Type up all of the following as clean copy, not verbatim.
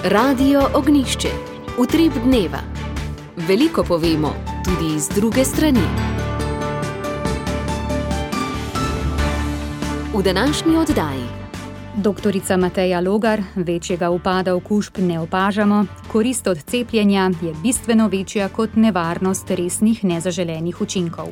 Radio Ognišče, utrip dneva. Veliko povemo, tudi z druge strani. V današnji oddaji. Doktorica Mateja Logar, večjega upada okužb ne opažamo, korist od cepljenja je bistveno večja kot nevarnost resnih nezaželenih učinkov.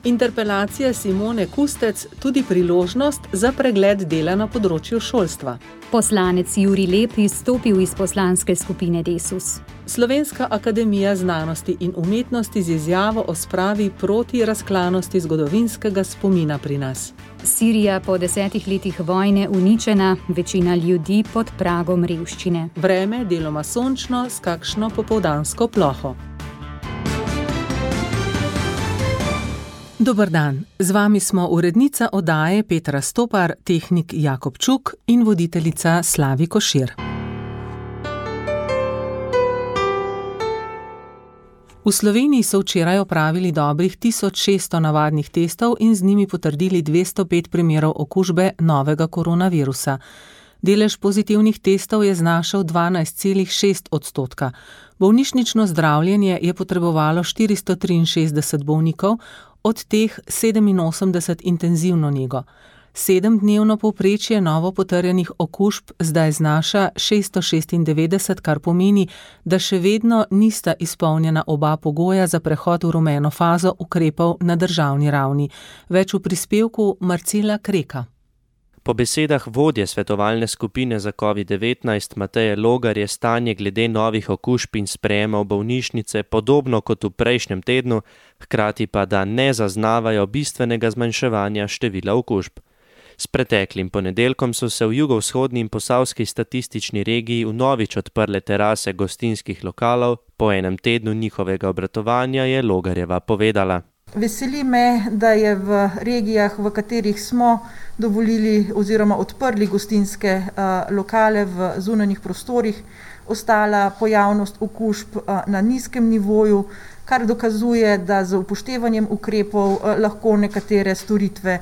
Interpelacija Simone Kustec tudi priložnost za pregled dela na področju šolstva. Poslanec Jurij Lep izstopil iz poslanske skupine Desus. Slovenska akademija znanosti in umetnosti z izjavo o spravi proti razklanosti zgodovinskega spomina pri nas. Sirija po 10 letih vojne uničena, večina ljudi pod pragom revščine. Vreme deloma sončno s kakšno popoldansko ploho. Dober dan, z vami smo urednica oddaje Petra Stopar, tehnik Jakob Čuk in voditeljica Slavi Košir. V Sloveniji so včeraj opravili dobrih 1600 navadnih testov in z njimi potrdili 205 primerov okužbe novega koronavirusa. Delež pozitivnih testov je znašal 12,6%. Bolnišnično zdravljenje je potrebovalo 463 bolnikov, od teh 87 intenzivno nego. 7-dnevno povprečje novo potrjenih okužb zdaj znaša 696, kar pomeni, da še vedno nista izpolnjena oba pogoja za prehod v rumeno fazo ukrepov na državni ravni. Več v prispevku Marcela Kreka. Po besedah vodje svetovalne skupine za COVID-19 Mateje Logar je stanje glede novih okužb in sprejema v bolnišnice podobno kot v prejšnjem tednu, hkrati pa da ne zaznavajo bistvenega zmanjševanja števila okužb. S preteklim ponedeljkom so se v jugovzhodni in posavski statistični regiji vnovič odprle terase gostinskih lokalov, po enem tednu njihovega obratovanja je Logarjeva povedala. Veseli me, da je v regijah, v katerih smo dovolili oziroma odprli gostinske lokale v zunanjih prostorih, ostala pojavnost okužb na nizkem nivoju, kar dokazuje, da z upoštevanjem ukrepov lahko nekatere storitve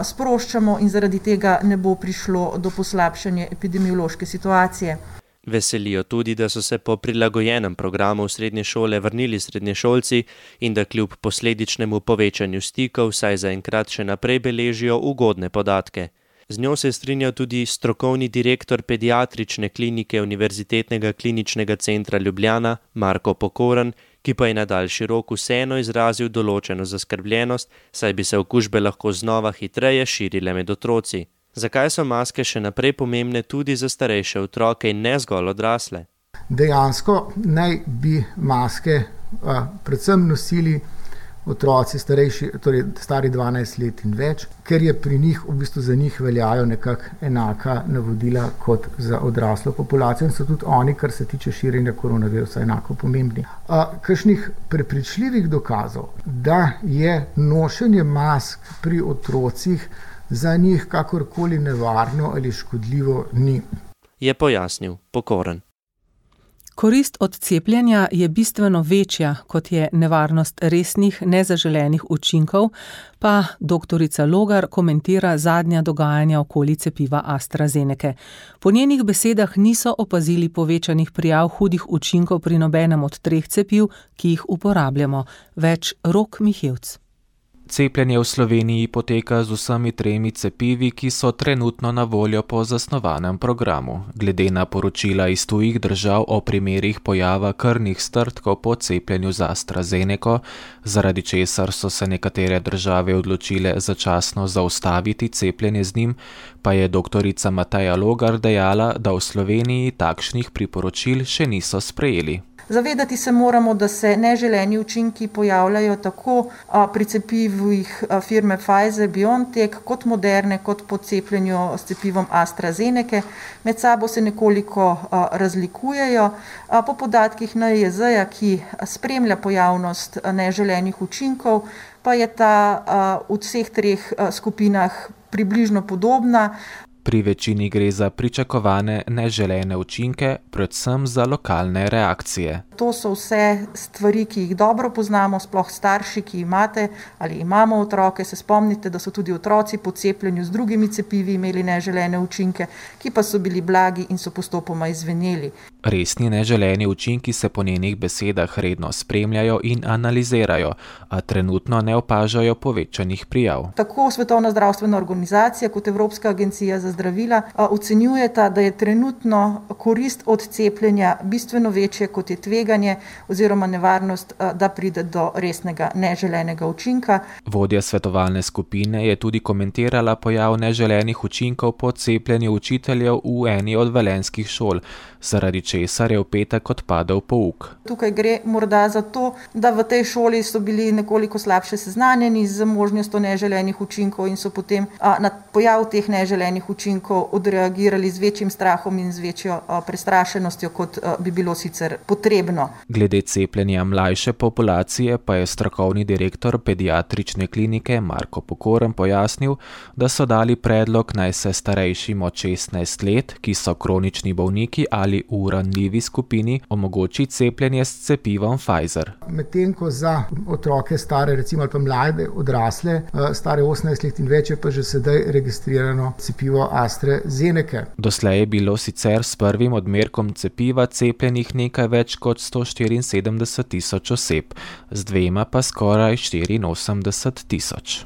sproščamo in zaradi tega ne bo prišlo do poslabšanja epidemiološke situacije. Veselijo tudi, da so se po prilagojenem programu v srednje šole vrnili srednješolci in da kljub posledičnemu povečanju stikov vsaj zaenkrat še naprej beležijo ugodne podatke. Z njo se strinja tudi strokovni direktor pediatrične klinike Univerzitetnega kliničnega centra Ljubljana Marko Pokoran, ki pa je na daljši rok vseeno izrazil določeno zaskrbljenost, saj bi se okužbe lahko znova hitreje širile med otroci. Zakaj so maske še naprej pomembne tudi za starejše otroke in ne zgolj odrasle? Dejansko naj bi maske predvsem nosili otroci starejši, torej stari 12 let in več, ker je pri njih, v bistvu za njih veljajo nekako enaka navodila kot za odraslo populacijo in so tudi oni, kar se tiče širjenja koronavirusa, enako pomembni. Kakšnih prepričljivih dokazov, da je nošenje mask pri otrocih za njih kakorkoli nevarno ali škodljivo ni. Je pojasnil Pokoran. Korist od cepljenja je bistveno večja, kot je nevarnost resnih nezaželenih učinkov, pa doktorica Logar komentira zadnja dogajanja okoli cepiva AstraZenece. Po njenih besedah niso opazili povečanih prijav hudih učinkov pri nobenem od 3 cepiv, ki jih uporabljamo. Več Rok Mihevc. Cepljenje v Sloveniji poteka z vsemi 3 cepivi, ki so trenutno na voljo po zasnovanem programu. Glede na poročila iz tujih držav o primerih pojava krvnih strdkov po cepljenju z AstraZeneco, zaradi česar so se nekatere države odločile začasno zaustaviti cepljenje z njim, pa je doktorica Mateja Logar dejala, da v Sloveniji takšnih priporočil še niso sprejeli. Zavedati se moramo, da se neželeni učinki pojavljajo tako pri cepivih firme Pfizer-BioNTech kot Moderne, kot po cepljenju s cepivom AstraZenece. Med sabo se nekoliko razlikujejo. Po podatkih NIJZ-ja, ki spremlja pojavnost neželenih učinkov, pa je ta v vseh 3 skupinah približno podobna. Pri večini gre za pričakovane neželene učinke, predvsem za lokalne reakcije. To so vse stvari, ki jih dobro poznamo, sploh starši, ki imate ali imamo otroke. Se spomnite, da so tudi otroci po cepljenju z drugimi cepivi imeli neželene učinke, ki pa so bili blagi in so postopoma izveneli. Resni neželeni učinki se po njenih besedah redno spremljajo in analizirajo, a trenutno ne opažajo povečanih prijav. Tako Svetovna zdravstvena organizacija kot Evropska agencija za zdravila ocenjujeta, da je trenutno korist od cepljenja bistveno večje, kot je tveganje oziroma nevarnost, da pride do resnega neželenega učinka. Vodja svetovalne skupine je tudi komentirala pojav neželenih učinkov po cepljenju učiteljev v eni od velenjskih šol, zaradi česar je v petek odpadel pouk. Tukaj gre morda za to, da v tej šoli so bili nekoliko slabše seznanjeni z možnostjo neželenih učinkov in so potem na pojav teh neželenih učinkov odreagirali z večjim strahom in z večjo prestrašenostjo, kot bi bilo sicer potrebno. Glede cepljenja mlajše populacije pa je strokovni direktor pediatrične klinike Marko Pokoren pojasnil, da so dali predlog, naj se starejšim od 16 let, ki so kronični bolniki ali v ranljivi skupini, omogoči cepljenje s cepivom Pfizer. Medtem ko za otroke stare, recimo ali pa mlade odrasle, stare 18 let in več, je pa že sedaj registrirano cepivo AstraZeneca. Doslej je bilo sicer s prvim odmerkom cepiva cepljenih nekaj več kot 174 tisoč oseb, z dvema pa skoraj 84 tisoč.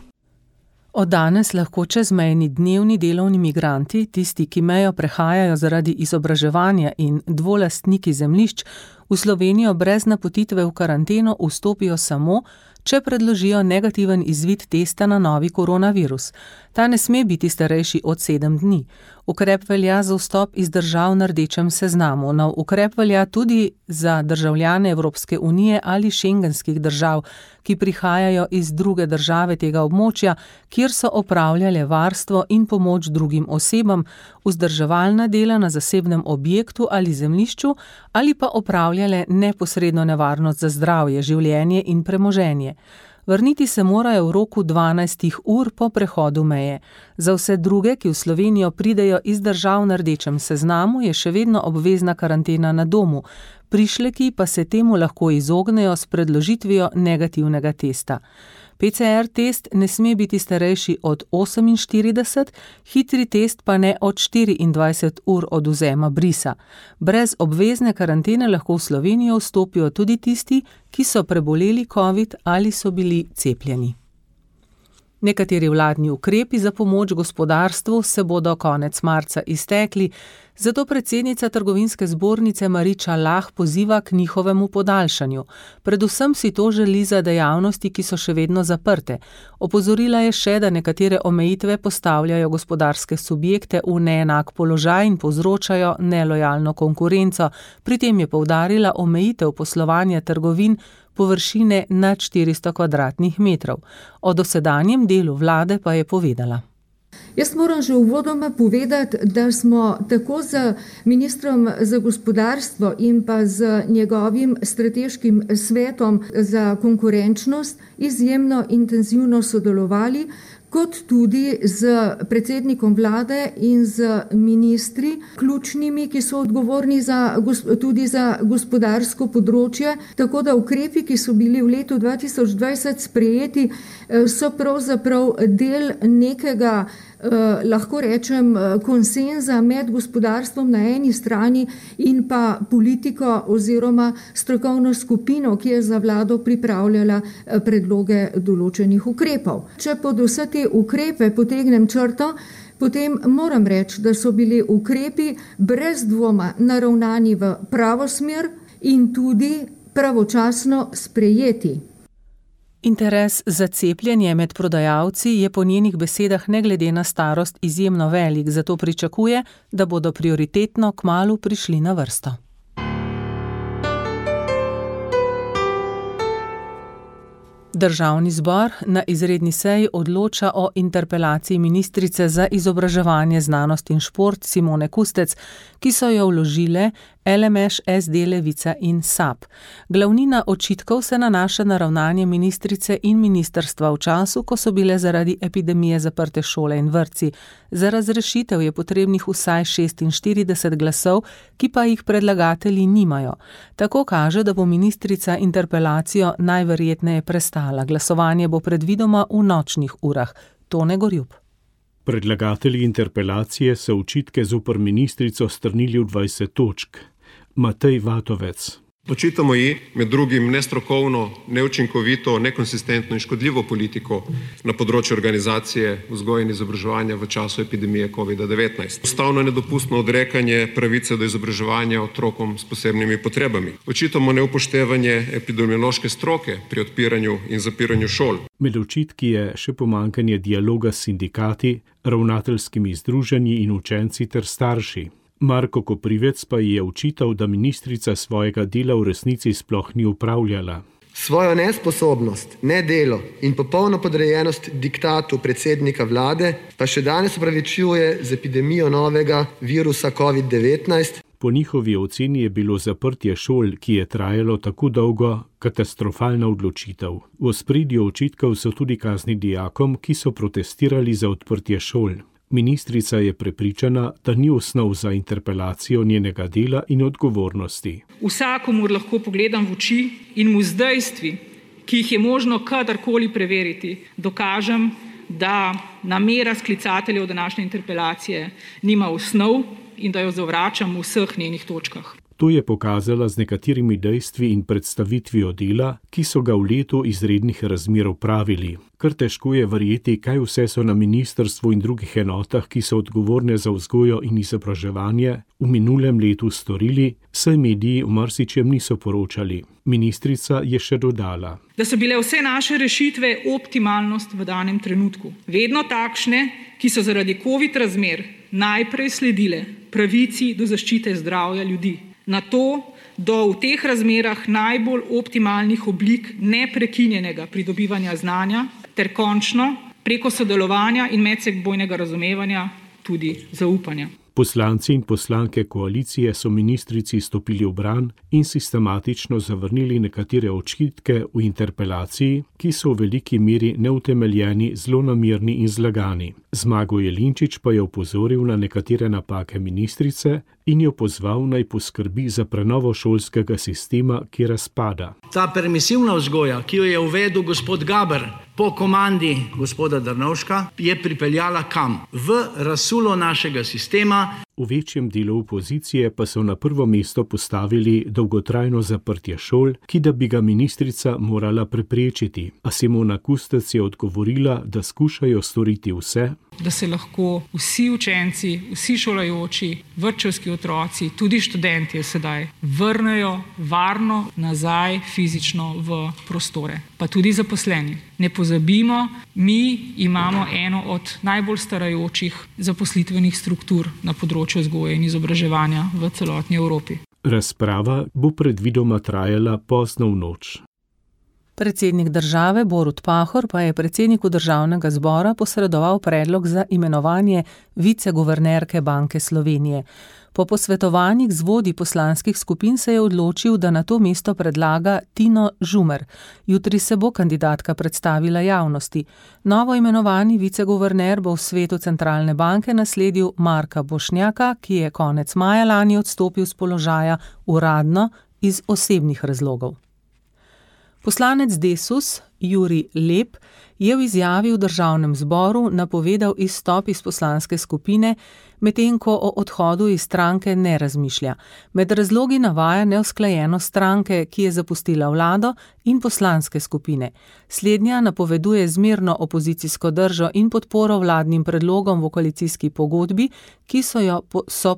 Od danes lahko čezmejni dnevni delovni migranti, tisti, ki mejo prehajajo zaradi izobraževanja in dvolastniki zemljišč, v Slovenijo brez napotitve v karanteno vstopijo samo, če predložijo negativen izvid testa na novi koronavirus. Ta ne sme biti starejši od 7 dni. Ukrep velja za vstop iz držav na rdečem seznamu. Nov ukrep velja tudi za državljane Evropske unije ali šengenskih držav, ki prihajajo iz druge države tega območja, kjer so opravljale varstvo in pomoč drugim osebam, vzdrževalna dela na zasebnem objektu ali zemljišču ali pa opravljale neposredno nevarnost za zdravje, življenje in premoženje. Vrniti se morajo v roku 12 ur po prehodu meje. Za vse druge, ki v Slovenijo pridejo iz držav na rdečem seznamu, je še vedno obvezna karantena na domu. Prišleki pa se temu lahko izognejo s predložitvijo negativnega testa. PCR test ne sme biti starejši od 48, hitri test pa ne od 24 ur od vzema brisa. Brez obvezne karantene lahko v Slovenijo vstopijo tudi tisti, ki so preboleli COVID ali so bili cepljeni. Nekateri vladni ukrepi za pomoč gospodarstvu se bodo konec marca iztekli, zato predsednica Trgovinske zbornice Mariča Lah poziva k njihovemu podaljšanju. Predvsem si to želi za dejavnosti, ki so še vedno zaprte. Opozorila je še, da nekatere omejitve postavljajo gospodarske subjekte v neenak položaj in povzročajo nelojalno konkurenco. Pri tem je poudarila omejitev poslovanja trgovin površine nad 400 kvadratnih metrov. O dosedanjem delu vlade pa je povedala. Jaz moram že uvodoma povedati, da smo tako z ministrom za gospodarstvo in pa z njegovim strateškim svetom za konkurenčnost izjemno intenzivno sodelovali, kot tudi z predsednikom vlade in z ministri, ključnimi, ki so odgovorni tudi za gospodarsko področje. Tako da ukrepi, ki so bili v letu 2020 sprejeti, so pravzaprav del nekega, lahko rečem, konsenza med gospodarstvom na eni strani in pa politiko oziroma strokovno skupino, ki je za vlado pripravljala predloge določenih ukrepov. Če pod vse te ukrepe potegnem črto, potem moram reči, da so bili ukrepi brez dvoma naravnani v pravo smer in tudi pravočasno sprejeti. Interes za cepljenje med prodajalci je po njenih besedah ne glede na starost izjemno velik, zato pričakuje, da bodo prioritetno kmalu prišli na vrsto. Državni zbor na izredni seji odloča o interpelaciji ministrice za izobraževanje, znanost in šport Simone Kustec, ki so jo vložile LMŠ, SD, Levica in SAB. Glavnina očitkov se nanaša na ravnanje ministrice in ministrstva v času, ko so bile zaradi epidemije zaprte šole in vrtci. Za razrešitev je potrebnih vsaj 46 glasov, ki pa jih predlagatelji nimajo. Tako kaže, da bo ministrica interpelacijo najverjetneje prestala. Glasovanje bo predvidoma v nočnih urah. Tone Gorjup. Predlagatelji interpelacije so očitke zoper ministrico strnili v 20 točk. Matej Vatovec. Očitamo ji med drugim nestrokovno, neučinkovito, nekonsistentno in škodljivo politiko na področju organizacije vzgoje in izobraževanja v času epidemije COVID-19. Ustavno nedopustno odrekanje pravice do izobraževanja otrokom s posebnimi potrebami. Očitamo neupoštevanje epidemiološke stroke pri odpiranju in zapiranju šol. Med očitki je še pomanjkanje dialoga s sindikati, ravnateljskimi združenji in učenci ter starši. Marko Koprivec pa je očital, da ministrica svojega dela v resnici sploh ni upravljala. Svojo nesposobnost, nedelo in popolno podrejenost diktatu predsednika vlade pa še danes opravičuje z epidemijo novega virusa COVID-19. Po njihovi oceni je bilo zaprtje šol, ki je trajalo tako dolgo, katastrofalna odločitev. V ospredju očitkov so tudi kazni dijakom, ki so protestirali za odprtje šol. Ministrica je prepričana, da ni osnov za interpelacijo njenega dela in odgovornosti. Vsakomur lahko pogledam v oči in mu z dejstvi, ki jih je možno kadarkoli preveriti, dokažem, da namera sklicateljev današnje interpelacije nima osnov in da jo zavračam v vseh njenih točkah. To je pokazala z nekaterimi dejstvi in predstavitvijo dela, ki so ga v letu izrednih razmer opravili. Kar težko je verjeti, kaj vse so na ministrstvu in drugih enotah, ki so odgovorne za vzgojo in izobraževanje, v minulem letu storili, saj mediji v marsičem niso poročali. Ministrica je še dodala, da so bile vse naše rešitve optimalnost v danem trenutku. Vedno takšne, ki so zaradi COVID razmer najprej sledile pravici do zaščite zdravja ljudi. Na to, do v teh razmerah najbolj optimalnih oblik neprekinjenega pridobivanja znanja ter končno preko sodelovanja in medsebojnega razumevanja tudi zaupanja. Poslanci in poslanke koalicije so ministrici stopili v bran in sistematično zavrnili nekatere očitke v interpelaciji, ki so v veliki meri neutemeljeni, zlonamerni in zlagani. Zmago Jelinčič pa je opozoril na nekatere napake ministrice in jo pozval, naj poskrbi za prenovo šolskega sistema, ki razpada. Ta permisivna vzgoja, ki jo je uvedel gospod Gaber po komandi gospoda Drnovška, je pripeljala kam? V razsulo našega sistema. V večjem delu opozicije pa so na prvo mesto postavili dolgotrajno zaprtje šol, ki da bi ga ministrica morala preprečiti. A Simona Kustec je odgovorila, da skušajo storiti vse, da se lahko vsi učenci, vsi šolajoči, vrtčevski otroci, tudi študentje sedaj vrnejo varno nazaj fizično v prostore, pa tudi zaposleni. Ne pozabimo, mi imamo eno od najbolj starajočih zaposlitvenih struktur na področju vzgoje in izobraževanja v celotni Evropi. Razprava bo predvidoma trajala pozno v noč. Predsednik države Borut Pahor pa je predsedniku Državnega zbora posredoval predlog za imenovanje viceguvernerke Banke Slovenije. Po posvetovanjih z vodji poslanskih skupin se je odločil, da na to mesto predlaga Tino Žumer. Jutri se bo kandidatka predstavila javnosti. Novo imenovani viceguverner bo v svetu centralne banke nasledil Marka Bošnjaka, ki je konec maja lani odstopil z položaja uradno iz osebnih razlogov. Poslanec Desus Jurij Lep je v izjavi v Državnem zboru napovedal izstop iz poslanske skupine, medtem ko o odhodu iz stranke ne razmišlja. Med razlogi navaja neusklajenost stranke, ki je zapustila vlado, in poslanske skupine. Slednja napoveduje zmerno opozicijsko držo in podporo vladnim predlogom v koalicijski pogodbi, ki so jo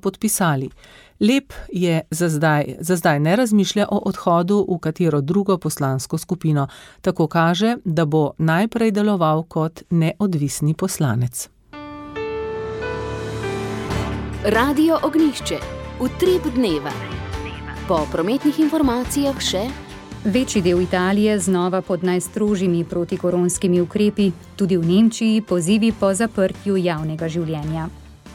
podpisali. Lep je za zdaj ne razmišlja o odhodu v katero drugo poslansko skupino. Tako kaže, da bo najprej deloval kot neodvisni poslanec. Radio Ognjišče. Utrip dneva. Po prometnih informacijah še: večji del Italije znova pod najstrožjimi protikoronskimi ukrepi, tudi v Nemčiji pozivi po zaprtju javnega življenja.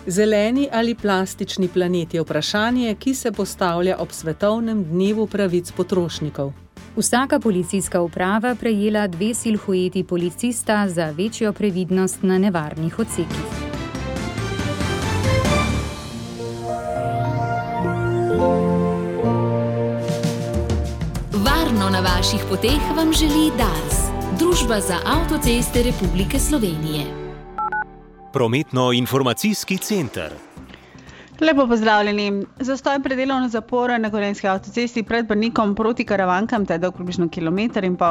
Zeleni ali plastični planet je vprašanje, ki se postavlja ob svetovnem dnevu pravic potrošnikov. Vsaka policijska uprava prejela 2 silhueti policista za večjo previdnost na nevarnih odsekih. Varno na vaših poteh vam želi Dars, Družba za avtoceste Republike Slovenije. Prometno-informacijski center. Lepo pozdravljeni. Zastoj pred delovno zaporo na Gorenjski avtocesti pred Brnikom proti Karavankam, to je dolg približno 1,5 km.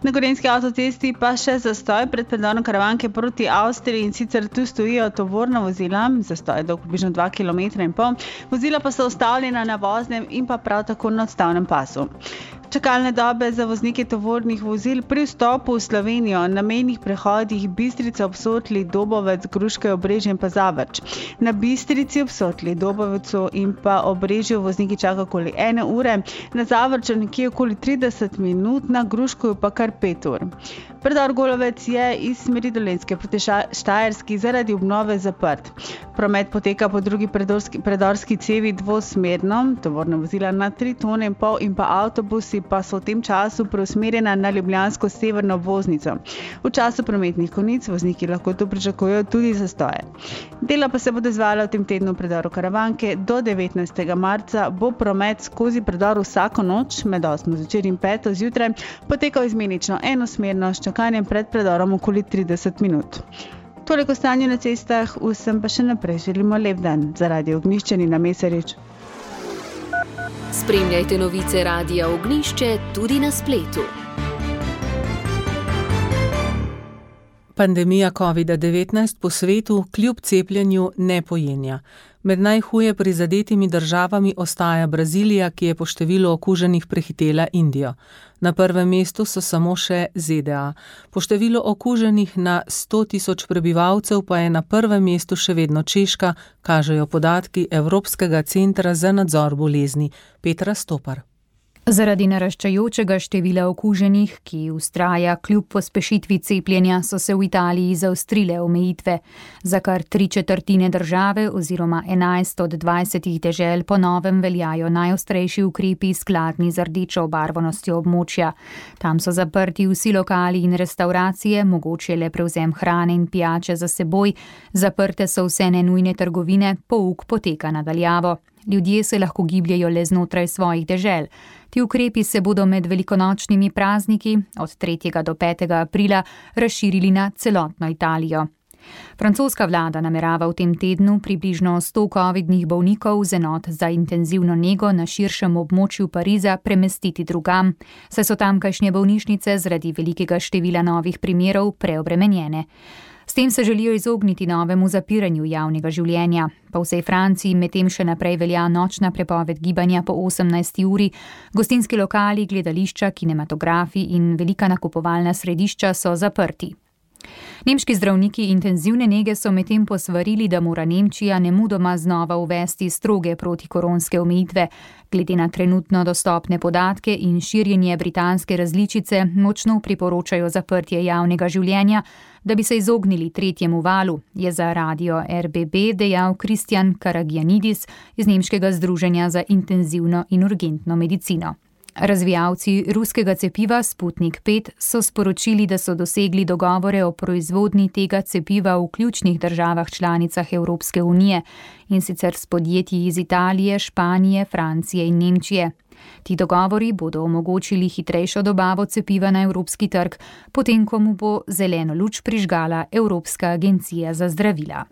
Na Gorenjski avtocesti pa še zastoj pred predorom Karavanke proti Avstriji, in sicer tu stojijo tovorna vozila, zastoj je dolg približno 2,5 km. Vozila pa so ustavljena na voznem in pa prav tako na odstavnem pasu. Čakalne dobe za voznike tovornih vozil pri vstopu v Slovenijo na mejnih prehodih Bistrica, Obsotli, Dobovec, Gruške, Obrežje in pa Zavrč. Na Bistrici, Obsotli, Dobovecu in pa Obrežju vozniki čakajo okoli 1 ure, na Zavrču nekje okoli 30 minut, na Gruško pa kar 5 ur. Predor Golovec je iz smeri Dolenjske proti Štajerski zaradi obnove zaprt. Promet poteka po drugi predorski cevi dvosmerno, tovorna vozila na 3,5 tone in pa avtobusi pa so v tem času preusmerjena na ljubljansko severno obvoznico. V času prometnih konic vozniki lahko tu pričakujejo tudi zastoje. Dela pa se bodo izvajala v tem tednu v predoru Karavanke. Do 19. marca bo promet skozi predor vsako noč med 8. zvečer in 5. zjutraj potekal izmenično enosmerno s čakanjem pred predorom okoli 30 minut. Toliko stanju na cestah, vsem pa še naprej želimo lep dan. Za Radio Ognjišče Nina Mesarič. Spremljajte novice Radia Ognjišče tudi na spletu. Pandemija COVID-19 po svetu kljub cepljenju ne pojenja. Med najhuje prizadetimi državami ostaja Brazilija, ki je po številu okuženih prehitela Indijo. Na prvem mestu so samo še ZDA. Po številu okuženih na 100.000 prebivalcev pa je na prvem mestu še vedno Češka, kažejo podatki Evropskega centra za nadzor bolezni. Petra Stopar. Zaradi naraščajočega števila okuženih, ki vztraja kljub pospešitvi cepljenja, so se v Italiji zaostrile omejitve. Za kar 3/4 države oziroma 11 od 20 dežel po novem veljajo najostrejši ukrepi skladni z rdečo obarvanostjo območja. Tam so zaprti vsi lokali in restauracije, mogoče le prevzem hrane in pijače za seboj, zaprte so vse nenujne trgovine, pouk poteka na daljavo. Ljudje se lahko gibljejo le znotraj svojih dežel. Ti ukrepi se bodo med velikonočnimi prazniki od 3. do 5. aprila razširili na celotno Italijo. Francoska vlada namerava v tem tednu približno 100 covidnih bolnikov z enot za intenzivno nego na širšem območju Pariza premestiti drugam, saj so tamkajšnje bolnišnice zaradi velikega števila novih primerov preobremenjene. S tem se želijo izogniti novemu zapiranju javnega življenja. Po vsej Franciji medtem še naprej velja nočna prepoved gibanja po 18. uri, gostinski lokali, gledališča, kinematografi in velika nakupovalna središča so zaprti. Nemški zdravniki intenzivne nege so medtem posvarili, da mora Nemčija nemudoma znova uvesti stroge protikoronske omejitve. Glede na trenutno dostopne podatke in širjenje britanske različice močno priporočajo zaprtje javnega življenja, da bi se izognili tretjemu valu, je za radio RBB dejal Kristjan Karagianidis iz Nemškega združenja za intenzivno in urgentno medicino. Razvijalci ruskega cepiva Sputnik 5 so sporočili, da so dosegli dogovore o proizvodnji tega cepiva v ključnih državah članicah Evropske unije, in sicer s podjetji iz Italije, Španije, Francije in Nemčije. Ti dogovori bodo omogočili hitrejšo dobavo cepiva na evropski trg, potem ko mu bo zeleno luč prižgala Evropska agencija za zdravila.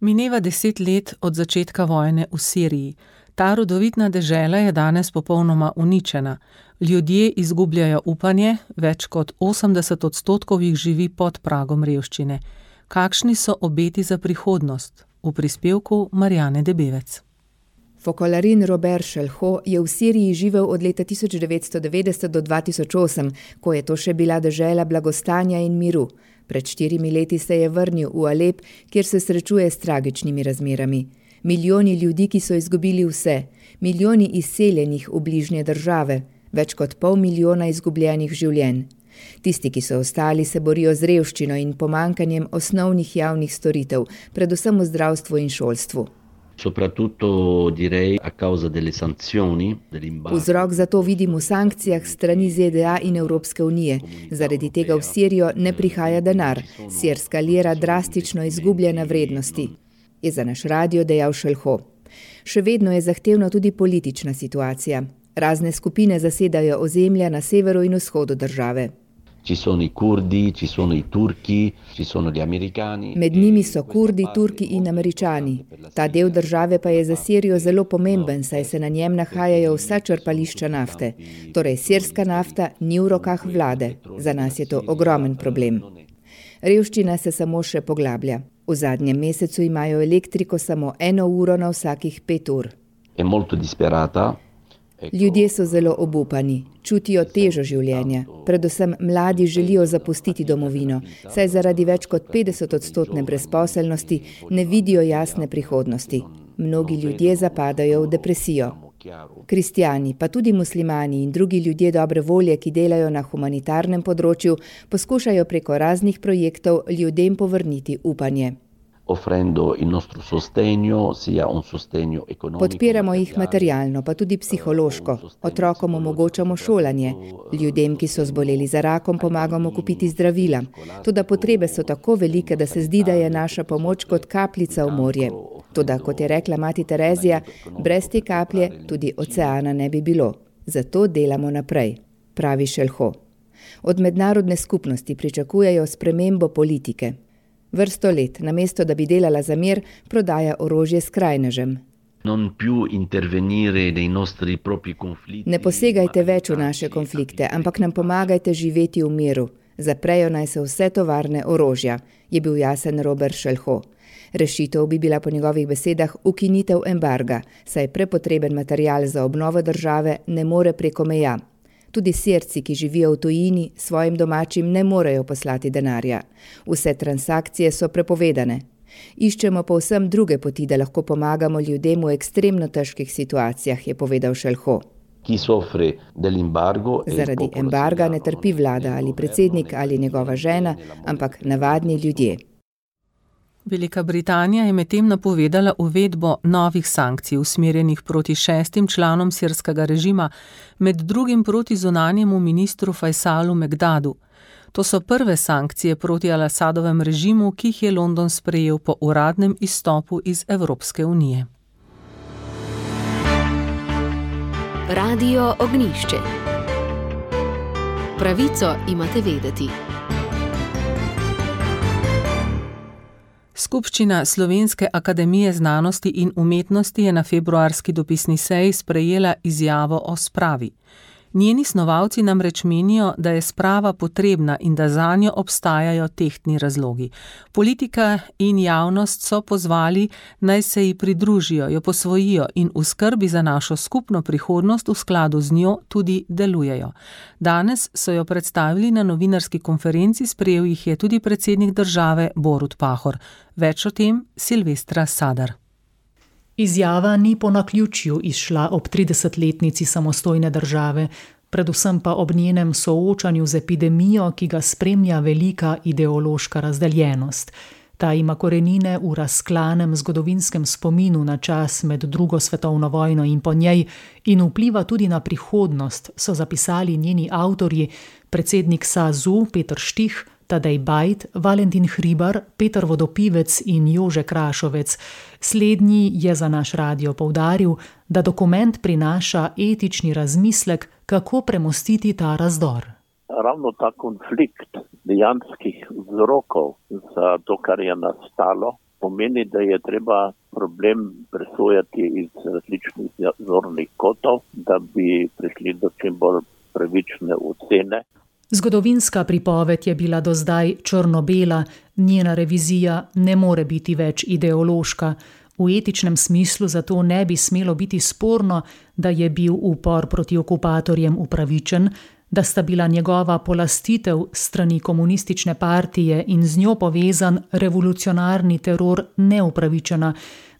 Mineva 10 let od začetka vojne v Siriji. Ta rodovitna dežela je danes popolnoma uničena. Ljudje izgubljajo upanje, več kot 80% jih živi pod pragom revščine. Kakšni so obeti za prihodnost? V prispevku Marjane Debevec. Fokolarin Robert Šelho je v Siriji živel od leta 1990 do 2008, ko je to še bila dežela blagostanja in miru. Pred 4 leti se je vrnil v Alep, kjer se srečuje s tragičnimi razmerami. Milijoni ljudi, ki so izgubili vse, milijoni izseljenih v bližnje države, več kot 500 000 izgubljenih življenj. Tisti, ki so ostali, se borijo z revščino in pomankanjem osnovnih javnih storitev, predvsem v zdravstvu in šolstvu. Soprattutto direi a causa delle sanzioni dell'embargo. Vzrok za to vidim v sankcijah strani ZDA in Evropske unije. Zaradi tega v Sirijo ne prihaja denar. Sirska lira drastično izgublja na vrednosti, je za naš radio dejal Šelho. Še vedno je zahtevna tudi politična situacija. Razne skupine zasedajo ozemlja na severu in vzhodu države. Ci sono i kurdi, ci sono i turki, ci sono gli americani. Med njimi so Kurdi, Turki in Američani. Ta del države pa je za Sirijo zelo pomemben, saj se na njem nahajajo vsa črpališča nafte. Torej, sirska nafta ni v rokah vlade. Za nas je to ogromen problem. Revščina se samo še poglablja. V zadnjem mesecu imajo elektriko samo 1 uro na vsakih 5 ur. È molto disperata. Ljudje so zelo obupani, čutijo težo življenja. Predvsem mladi želijo zapustiti domovino, saj zaradi več kot 50% brezposelnosti ne vidijo jasne prihodnosti. Mnogi ljudje zapadajo v depresijo. Kristjani, pa tudi muslimani in drugi ljudje dobre volje, ki delajo na humanitarnem področju, poskušajo preko raznih projektov ljudem povrniti upanje. Offrendo il nostro sostegno, sia un sostegno economico. Podpiramo jih materialno, pa tudi psihološko. Otrokom omogočamo šolanje. Ljudem, ki so zboleli za rakom, pomagamo kupiti zdravila. Toda potrebe so tako velike, da se zdi, da je naša pomoč kot kapljica v morje. Toda, kot je rekla mati Terezija, brez te kaplje tudi oceana ne bi bilo. Zato delamo naprej, pravi Šelho. Od mednarodne skupnosti pričakujejo spremembo politike. Vrsto let, namesto da bi delala za mir, prodaja orožje skrajnežem. Ne posegajte več v naše konflikte, ampak nam pomagajte živeti v miru. Zaprejo naj se vse tovarne orožja, je bil jasen Robert Šelho. Rešitev bi bila po njegovih besedah ukinitev embarga, saj prepotreben material za obnovo države ne more preko meja. Tudi Sirci, ki živijo v tujini, svojim domačim ne morejo poslati denarja. Vse transakcije so prepovedane. Iščemo povsem druge poti, da lahko pomagamo ljudem v ekstremno težkih situacijah, je povedal Šelho. Zaradi embarga ne trpi vlada ali predsednik ali njegova žena, ampak navadni ljudje. Velika Britanija je medtem napovedala uvedbo novih sankcij usmerjenih proti 6 članom sirskega režima, med drugim proti zunanjemu ministru Faisalu Mekdadu. To so prve sankcije proti Al-Asadovem režimu, ki jih je London sprejel po uradnem izstopu iz Evropske unije. Radio Ognjišče. Pravico imate vedeti. Skupščina Slovenske akademije znanosti in umetnosti je na februarski dopisni seji sprejela izjavo o spravi. Njeni snovalci namreč menijo, da je sprava potrebna in da zanjo obstajajo tehtni razlogi. Politika in javnost so pozvali, naj se ji pridružijo, jo posvojijo in v skrbi za našo skupno prihodnost v skladu z njo tudi delujejo. Danes so jo predstavili na novinarski konferenci, sprejel jih je tudi predsednik države Borut Pahor. Več o tem Silvestra Sadar. Izjava ni po naključju izšla ob 30-letnici samostojne države, predvsem pa ob njenem soočanju z epidemijo, ki ga spremlja velika ideološka razdeljenost. Ta ima korenine v razklanem zgodovinskem spominu na čas med drugo svetovno vojno in po njej in vpliva tudi na prihodnost, so zapisali njeni avtorji, predsednik SAZU Peter Štih, Tadej Bajd, Valentin Hribar, Peter Vodopivec in Jože Krašovec. Slednji je za naš radio poudaril, da dokument prinaša etični razmislek, kako premostiti ta razdor. Ravno ta konflikt dejanskih vzrokov za to, kar je nastalo, pomeni, da je treba problem presojati iz različnih zornih kotov, da bi prišli do čim bolj pravične ocene. Zgodovinska pripoved je bila do zdaj črno-bela, njena revizija ne more biti več ideološka. V etičnem smislu zato ne bi smelo biti sporno, da je bil upor proti okupatorjem upravičen, da sta bila njegova polastitev strani komunistične partije in z njo povezan revolucionarni teror neupravičena,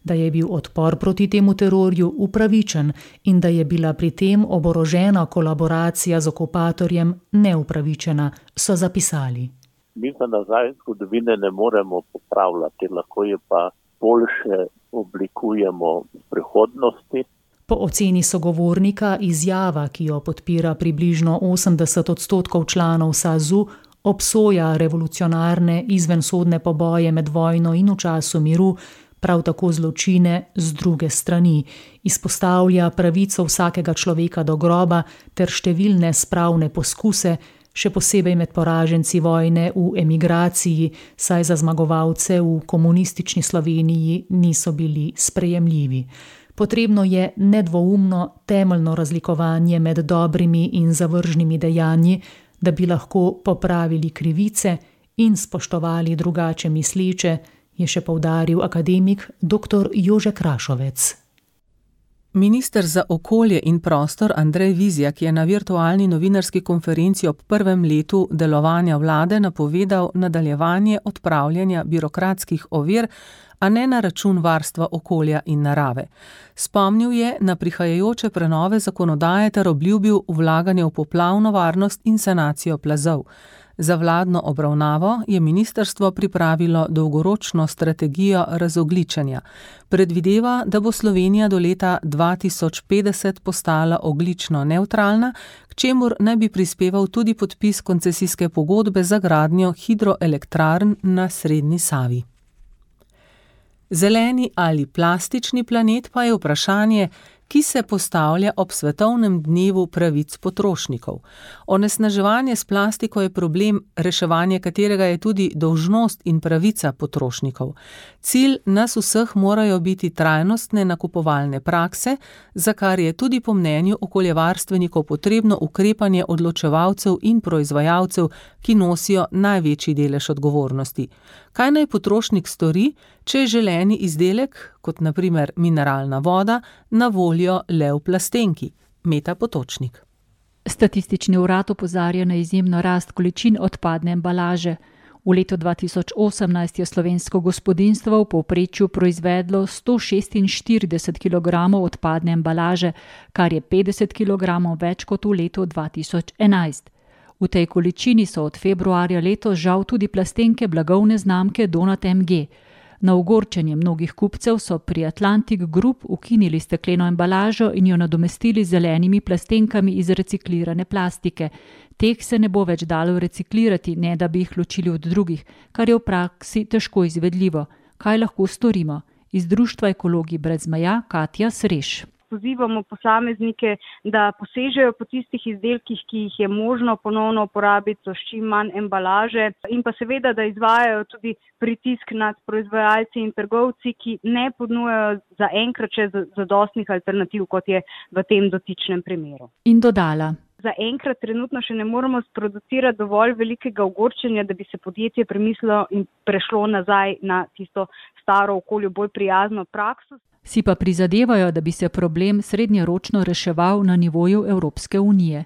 da je bil odpor proti temu terorju upravičen in da je bila pri tem oborožena kolaboracija z okupatorjem neupravičena, so zapisali. Mi za nazaj zgodovine ne moremo popravljati, lahko je pa boljše oblikujemo v prihodnosti. Po oceni sogovornika izjava, ki jo podpira približno 80% članov SAZU, obsoja revolucionarne izvensodne poboje med vojno in v času miru, prav tako zločine z druge strani, izpostavlja pravico vsakega človeka do groba ter številne spravne poskuse, še posebej med poraženci vojne v emigraciji, saj za zmagovalce v komunistični Sloveniji niso bili sprejemljivi. Potrebno je nedvoumno temeljno razlikovanje med dobrimi in zavržnimi dejanji, da bi lahko popravili krivice in spoštovali drugače misleče, je še poudaril akademik dr. Jože Krašovec. Minister za okolje in prostor Andrej Vizjak je na virtualni novinarski konferenci ob prvem letu delovanja vlade napovedal nadaljevanje odpravljanja birokratskih ovir, a ne na račun varstva okolja in narave. Spomnil je na prihajajoče prenove zakonodaje ter obljubil vlaganje v poplavno varnost in sanacijo plazov. Za vladno obravnavo je ministrstvo pripravilo dolgoročno strategijo razogljičenja. Predvideva, da bo Slovenija do leta 2050 postala ogljično nevtralna, k čemur naj bi prispeval tudi podpis koncesijske pogodbe za gradnjo hidroelektrarn na srednji Savi. Zeleni ali plastični planet pa je vprašanje, ki se postavlja ob svetovnem dnevu pravic potrošnikov. Onesnaževanje s plastiko je problem, reševanje katerega je tudi dolžnost in pravica potrošnikov. Cilj nas vseh morajo biti trajnostne nakupovalne prakse, za kar je tudi po mnenju okoljevarstvenikov potrebno ukrepanje odločevalcev in proizvajalcev, ki nosijo največji delež odgovornosti. Kaj naj potrošnik stori, če je želeni izdelek, kot na primer mineralna voda, na voljo le v plastenki? Meta Potočnik. Statistični urad opozarja na izjemno rast količin odpadne embalaže. V letu 2018 je slovensko gospodinjstvo v povprečju proizvedlo 146 kg odpadne embalaže, kar je 50 kg več kot v letu 2011. V tej količini so od februarja letos žal tudi plastenke blagovne znamke Donat MG. Na ogorčenje mnogih kupcev so pri Atlantic Group ukinili stekleno embalažo in jo nadomestili z zelenimi plastenkami iz reciklirane plastike. Teh se ne bo več dalo reciklirati, ne da bi jih ločili od drugih, kar je v praksi težko izvedljivo. Kaj lahko storimo? Iz Društva Ekologi brez meja Katja Sreš. Pozivamo posameznike, da posežejo po tistih izdelkih, ki jih je možno ponovno uporabiti s čim manj embalaže in pa seveda, da izvajajo tudi pritisk nad proizvajalci in trgovci, ki ne ponujajo zaenkrat še zadostnih alternativ, kot je v tem dotičnem primeru. In dodala. Zaenkrat trenutno še ne moremo sproducirati dovolj velikega ogorčenja, da bi se podjetje premislilo in prešlo nazaj na tisto staro okolju bolj prijazno prakso. Si pa prizadevajo, da bi se problem srednjeročno reševal na nivoju Evropske unije.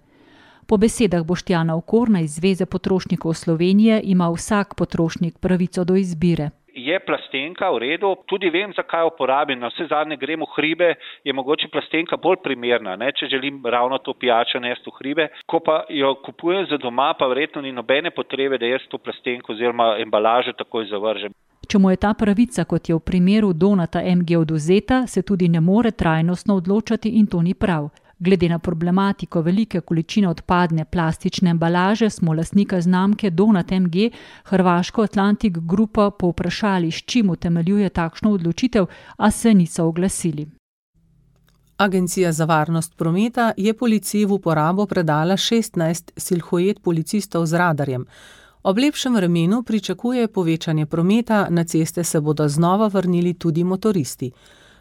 Po besedah Boštjana Okorna iz Zveze potrošnikov Slovenije ima vsak potrošnik pravico do izbire. Je plastenka v redu, tudi vem, zakaj uporabim, na vse zadnje grem v hribe, je mogoče plastenka bolj primerna, ne, če želim ravno to pijačo nesti v hribe. Ko pa jo kupujem za doma, pa verjetno ni nobene potrebe, da jaz to plastenko oziroma embalažo takoj zavržem. Če mu je ta pravica, kot je v primeru Donata MG odvzeta, se tudi ne more trajnostno odločati in to ni prav. Glede na problematiko velike količine odpadne plastične embalaže smo lastnika znamke Donat MG, hrvaško Atlantic Grupo, povprašali, s čim utemeljuje takšno odločitev, a se niso oglasili. Agencija za varnost prometa je policiji v uporabo predala 16 silhuet policistov z radarjem. Ob lepšem vremenu pričakuje povečanje prometa, na ceste se bodo znova vrnili tudi motoristi.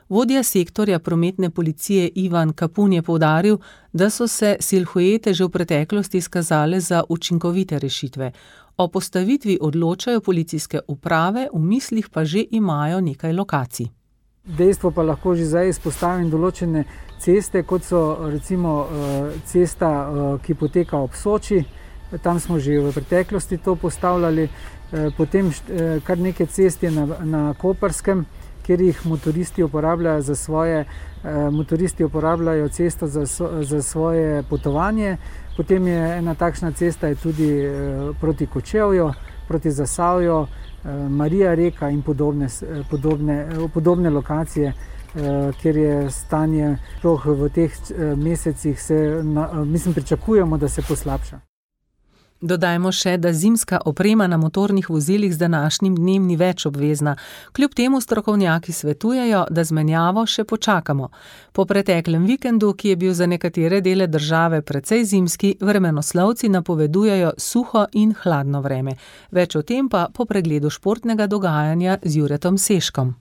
Vodja sektorja prometne policije Ivan Kapun je poudaril, da so se silhuete že v preteklosti izkazale za učinkovite rešitve. O postavitvi odločajo policijske uprave, v mislih pa že imajo nekaj lokacij. Dejstvo pa lahko že zdaj izpostavim določene ceste, kot so recimo cesta, ki poteka ob Soči. Tam smo že v preteklosti to postavljali, potem kar nekaj cest je na Koperskem, kjer jih motoristi uporabljajo motoristi uporabljajo cesto za svoje potovanje. Potem je ena takšna cesta je tudi proti Kočevju, proti Zasavju, Marija reka in podobne lokacije, kjer je stanje sploh v teh mesecih pričakujemo, da se poslabša. Dodajmo še, da zimska oprema na motornih vozilih z današnjim dnem ni več obvezna. Kljub temu strokovnjaki svetujejo, da z menjavo še počakamo. Po preteklem vikendu, ki je bil za nekatere dele države precej zimski, vremenoslovci napovedujejo suho in hladno vreme. Več o tem pa po pregledu športnega dogajanja z Juretom Seškom.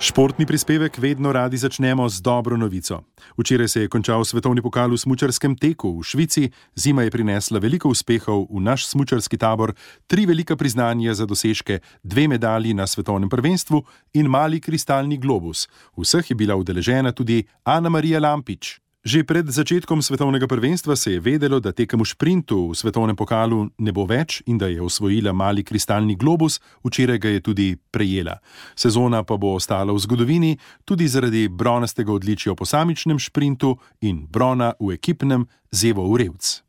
Športni prispevek vedno radi začnemo z dobro novico. Včeraj se je končal svetovni pokal v smučarskem teku v Švici, zima je prinesla veliko uspehov v naš smučarski tabor, 3 velika priznanja za dosežke, 2 medalji na svetovnem prvenstvu in mali kristalni globus. Vseh je bila udeležena tudi Ana Marija Lampič. Že pred začetkom svetovnega prvenstva se je vedelo, da tekem v šprintu v svetovnem pokalu ne bo več in da je osvojila mali kristalni globus, včeraj ga je tudi prejela. Sezona pa bo ostala v zgodovini tudi zaradi bronastega odličja v posamičnem šprintu in brona v ekipnem z Evo Urevc.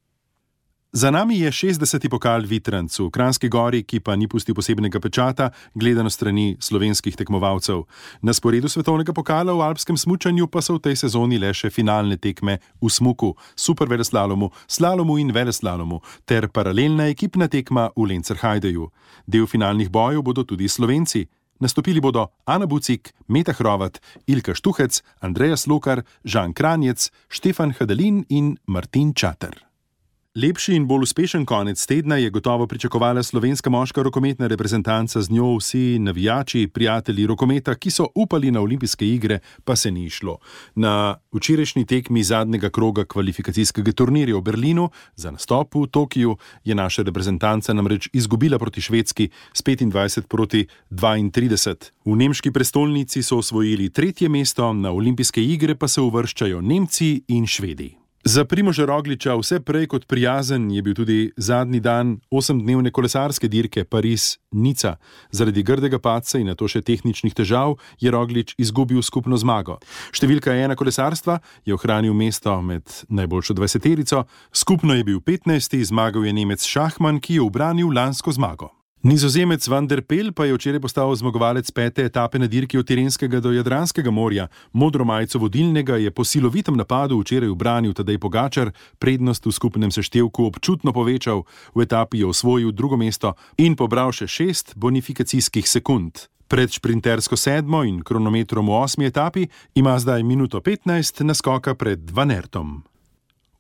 Za nami je 60. pokal Vitranc v Kranjski Gori, ki pa ni pustil posebnega pečata, gledano strani slovenskih tekmovalcev. Na sporedu svetovnega pokala v alpskem smučanju pa so v tej sezoni le še finalne tekme v smuku, superveleslalomu, slalomu in veleslalomu ter paralelna ekipna tekma v Lencerhajdeju. Del finalnih bojev bodo tudi Slovenci. Nastopili bodo Ana Bucik, Meta Hrovat, Ilka Štuhec, Andreja Slokar, Žan Kranjec, Štefan Hadelin in Martin Čater. Lepši in bolj uspešen konec tedna je gotovo pričakovala slovenska moška rokometna reprezentanca, z njo vsi navijači, prijatelji rokometa, ki so upali na olimpijske igre, pa se ni išlo. Na včerajšnji tekmi zadnjega kroga kvalifikacijskega turnirja v Berlinu za nastop v Tokiju je naša reprezentanca namreč izgubila proti Švedski s 25-32. V nemški prestolnici so osvojili 3. mesto, na olimpijske igre pa se uvrščajo Nemci in Švedi. Za Primoža Rogliča vse prej kot prijazen je bil tudi zadnji dan 8-dnevne kolesarske dirke Pariz-Nica. Zaradi grdega padca in nato še tehničnih težav je Roglič izgubil skupno zmago. Številka 1 kolesarstva je ohranil mesto med najboljšo 20-terico, skupno je bil 15. Zmagal je Nemec Šachman, ki je ubranil lansko zmago. Nizozemec Van der Pel pa je včeraj postal zmagovalec 5. etape na dirki od Tirenskega do Jadranskega morja. Modro majico vodilnega je po silovitem napadu včeraj ubranil Tadej Pogačar, prednost v skupnem seštevku občutno povečal, v etapi je osvojil 2. mesto in pobral še 6 bonifikacijskih sekund. Pred šprintersko 7. in kronometrom v 8. etapi ima zdaj minuto 15 naskoka pred Van Aertom.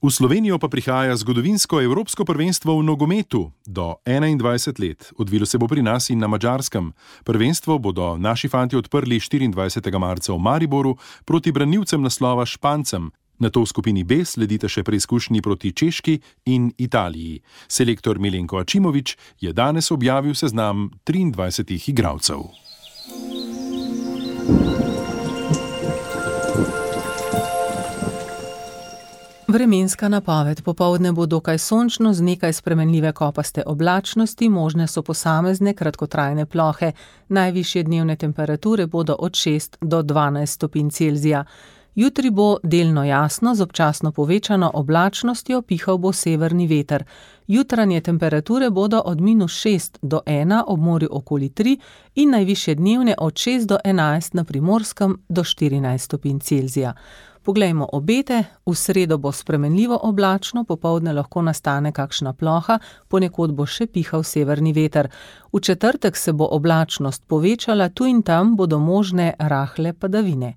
V Slovenijo pa prihaja zgodovinsko evropsko prvenstvo v nogometu do 21 let. Odvilo se bo pri nas in na Madžarskem. Prvenstvo bodo naši fantje odprli 24. marca v Mariboru proti branilcem naslova Špancem. Nato v skupini B sledita še preizkušnji proti Češki in Italiji. Selektor Milenko Ačimović je danes objavil seznam 23 igralcev. Vremenska napoved. Popoldne bo dokaj sončno z nekaj spremenljive kopaste oblačnosti, možne so posamezne kratkotrajne plohe. Najvišje dnevne temperature bodo od 6 do 12 stopinj Celzija. Jutri bo delno jasno, z občasno povečano oblačnostjo, pihal bo severni veter. Jutranje temperature bodo od -6 do 1, ob morju okoli 3 in najvišje dnevne od 6 do 11 na Primorskem do 14 stopinj Celzija. Poglejmo obete. V sredo bo spremenljivo oblačno, popoldne lahko nastane kakšna ploha, ponekod bo še pihal severni veter. V četrtek se bo oblačnost povečala, tu in tam bodo možne rahle padavine.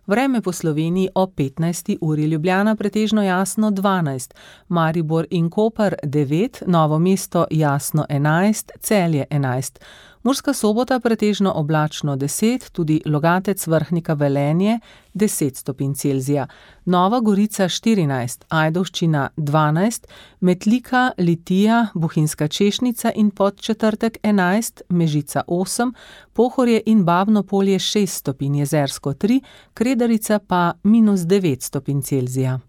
Vreme po Sloveniji ob 15. uri: Ljubljana pretežno jasno 12, Maribor in Koper 9, Novo mesto jasno 11, Celje 11. Murska Sobota pretežno oblačno 10, tudi Logatec, Vrhnika, Velenje 10 stopinj Celzija. Nova Gorica 14, Ajdovščina 12, Metlika, Litija, Bohinjska Češnica in Podčetrtek 11, Mežica 8, Pohorje in Babno Polje 6 stopinj, Jezersko 3, Kredarica pa -9 stopinj Celzija.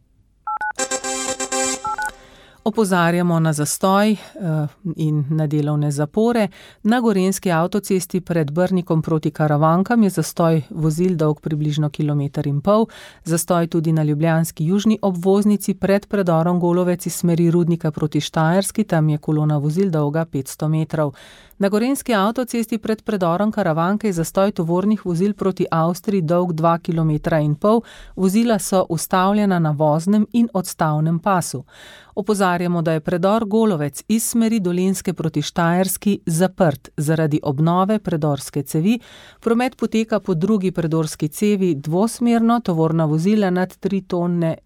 Opozarjamo na zastoj in na delovne zapore. Na gorenjski avtocesti pred Brnikom proti Karavankam je zastoj vozil dolg približno 1,5 km. Zastoj tudi na ljubljanski južni obvoznici pred predorom Golovec iz smeri Rudnika proti Štajerski, tam je kolona vozil dolga 500 metrov. Na gorenjski avtocesti pred predorom Karavanke je zastoj tovornih vozil proti Avstriji dolg 2,5 km. Vozila so ustavljena na voznem in odstavnem pasu. Opozarjamo, da je predor Golovec iz smeri Dolenjske proti Štajerski zaprt zaradi obnove predorske cevi. Promet poteka po drugi predorski cevi dvosmerno, tovorna vozila nad 3,5 tone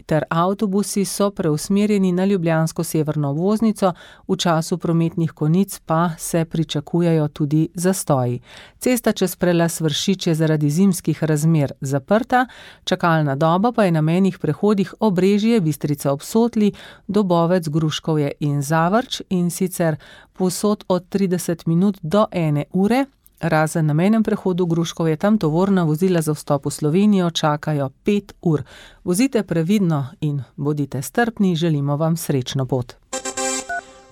ter avtobusi so preusmerjeni na ljubljansko severno obvoznico, v času prometnih konic pa se pričakujejo tudi zastoji. Cesta čez prelaz Vršič je zaradi zimskih razmer zaprta, čakalna doba pa je na mejnih prehodih Obrežje, Bistrica ob Sotli, Dobovec, Gruškovje in Zavrč, in sicer povsod od 30 minut do 1 ure. Razen na mejnem prehodu Gruškovje, tam tovorna vozila za vstop v Slovenijo čakajo 5 ur. Vozite previdno in bodite strpni, želimo vam srečno pot.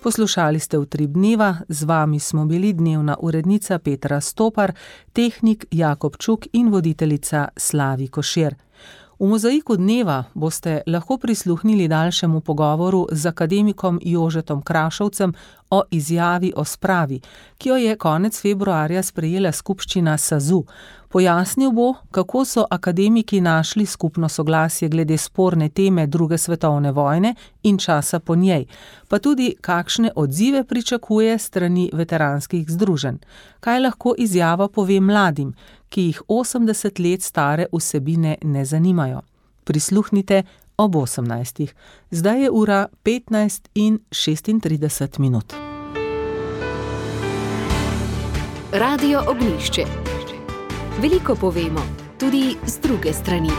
Poslušali ste Utrip dneva, z vami smo bili dnevna urednica Petra Stopar, tehnik Jakob Čuk in voditeljica Slavi Košir. V Mozaiku dneva boste lahko prisluhnili daljšemu pogovoru z akademikom Jožetom Krašovcem o izjavi o spravi, ki jo je konec februarja sprejela skupščina SAZU. Pojasnil bo, kako so akademiki našli skupno soglasje glede sporne teme 2. svetovne vojne in časa po njej, pa tudi kakšne odzive pričakuje strani veteranskih združenj. Kaj lahko izjava pove mladim, ki jih 80 let stare vsebine ne zanimajo? Prisluhnite ob 18. Zdaj je ura 15:36. Radio Ognjišče. Veliko povemo, tudi z druge strani.